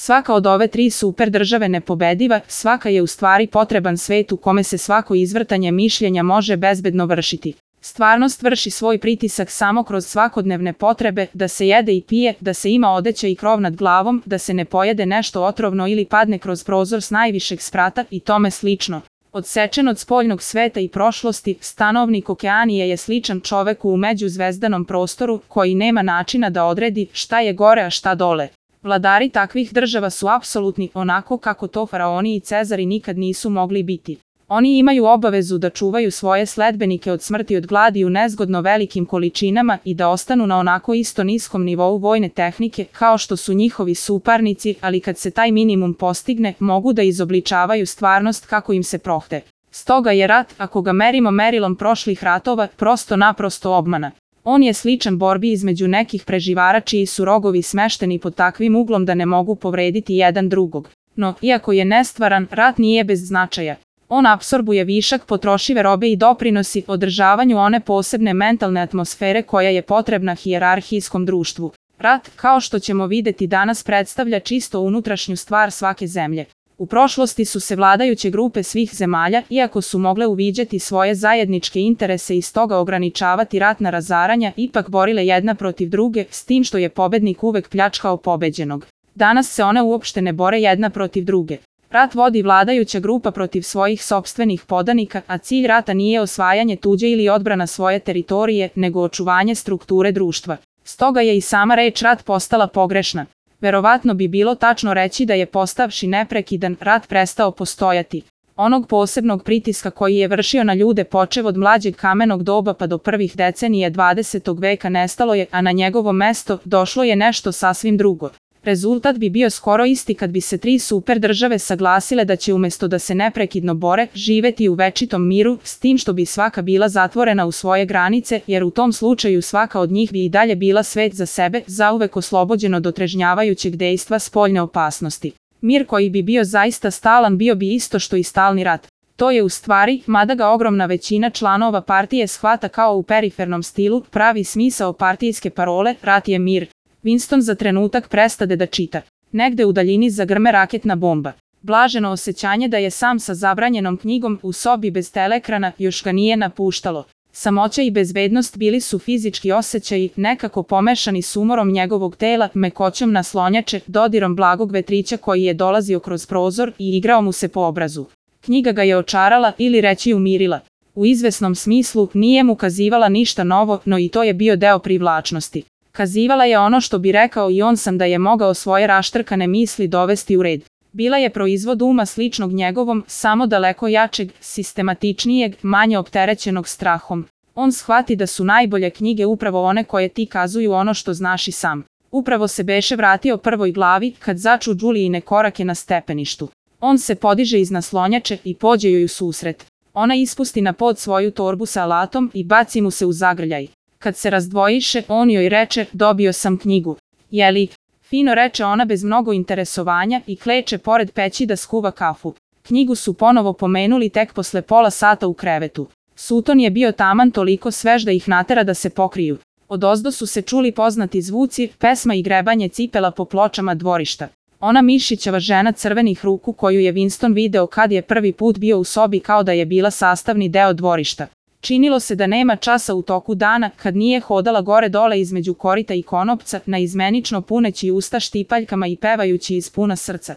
Svaka od ove tri super države nepobediva, svaka je u stvari potreban svet u kome se svako izvrtanje mišljenja može bezbedno vršiti. Stvarnost vrši svoj pritisak samo kroz svakodnevne potrebe, da se jede i pije, da se ima odeća i krov nad glavom, da se ne pojede nešto otrovno ili padne kroz prozor s najvišeg sprata i tome slično. Odsečen od spoljnog sveta i prošlosti, stanovnik Okeanije je sličan čoveku u međuzvezdanom prostoru koji nema načina da odredi šta je gore a šta dole. Vladari takvih država su apsolutni, onako kako to faraoni i cezari nikad nisu mogli biti. Oni imaju obavezu da čuvaju svoje sledbenike od smrti od gladi u nezgodno velikim količinama i da ostanu na onako isto niskom nivou vojne tehnike kao što su njihovi suparnici, ali kad se taj minimum postigne, mogu da izobličavaju stvarnost kako im se prohte. Stoga je rat, ako ga merimo merilom prošlih ratova, prosto naprosto obmana. On je sličan borbi između nekih preživara čiji su rogovi smešteni pod takvim uglom da ne mogu povrediti jedan drugog. No, iako je nestvaran, rat nije bez značaja. On apsorbuje višak potrošive robe i doprinosi održavanju one posebne mentalne atmosfere koja je potrebna hijerarhijskom društvu. Rat, kao što ćemo videti danas, predstavlja čisto unutrašnju stvar svake zemlje. U prošlosti su se vladajuće grupe svih zemalja, iako su mogle uviđati svoje zajedničke interese i stoga ograničavati ratna razaranja, ipak borile jedna protiv druge, s tim što je pobednik uvek pljačkao pobeđenog. Danas se one uopšte ne bore jedna protiv druge. Rat vodi vladajuća grupa protiv svojih sopstvenih podanika, a cilj rata nije osvajanje tuđe ili odbrana svoje teritorije, nego očuvanje strukture društva. Stoga je i sama reč rat postala pogrešna. Verovatno bi bilo tačno reći da je postavši neprekidan rat prestao postojati. Onog posebnog pritiska koji je vršio na ljude počev od mlađeg kamenog doba pa do prvih decenija 20. veka nestalo je, a na njegovo mesto došlo je nešto sasvim drugo. Rezultat bi bio skoro isti kad bi se tri super države saglasile da će umjesto da se neprekidno bore, živeti u večitom miru, s tim što bi svaka bila zatvorena u svoje granice, jer u tom slučaju svaka od njih bi i dalje bila svet za sebe, zauvek oslobođen od otrežnjavajućeg dejstva spoljne opasnosti. Mir koji bi bio zaista stalan bio bi isto što i stalni rat. To je u stvari, mada ga ogromna većina članova partije shvata kao u perifernom stilu, pravi smisao partijske parole, rat je mir. Winston za trenutak prestade da čita. Negde u daljini zagrme raketna bomba. Blaženo osjećanje da je sam sa zabranjenom knjigom u sobi bez teleekrana još ga nije napuštalo. Samoća i bezbednost bili su fizički osjećaji, nekako pomešani s umorom njegovog tela, mekoćom naslonjače, dodirom blagog vetrića koji je dolazio kroz prozor i igrao mu se po obrazu. Knjiga ga je očarala ili reći umirila. U izvesnom smislu nije mu kazivala ništa novo, no i to je bio deo privlačnosti. Kazivala je ono što bi rekao i on sam da je mogao svoje raštrkane misli dovesti u red. Bila je proizvod uma sličnog njegovom, samo daleko jačeg, sistematičnijeg, manje opterećenog strahom. On shvati da su najbolje knjige upravo one koje ti kazuju ono što znaš i sam. Upravo se beše vratio prvoj glavi kad začu Julijine korake na stepeništu. On se podiže iz naslonjače i pođe joj u susret. Ona ispusti na pod svoju torbu sa alatom i baci mu se u zagrljaj. Kad se razdvojiše, on joj reče, dobio sam knjigu. Jeli? Fino reče ona bez mnogo interesovanja i kleče pored peći da skuva kafu. Knjigu su ponovo pomenuli tek posle pola sata u krevetu. Suton je bio taman toliko svež da ih natera da se pokriju. Odozdo su se čuli poznati zvuci, pesma i grebanje cipela po pločama dvorišta. Ona mišićava žena crvenih ruku koju je Winston video kad je prvi put bio u sobi kao da je bila sastavni deo dvorišta. Činilo se da nema časa u toku dana kad nije hodala gore dole između korita i konopca, naizmenično puneći usta štipaljkama i pevajući iz puna srca.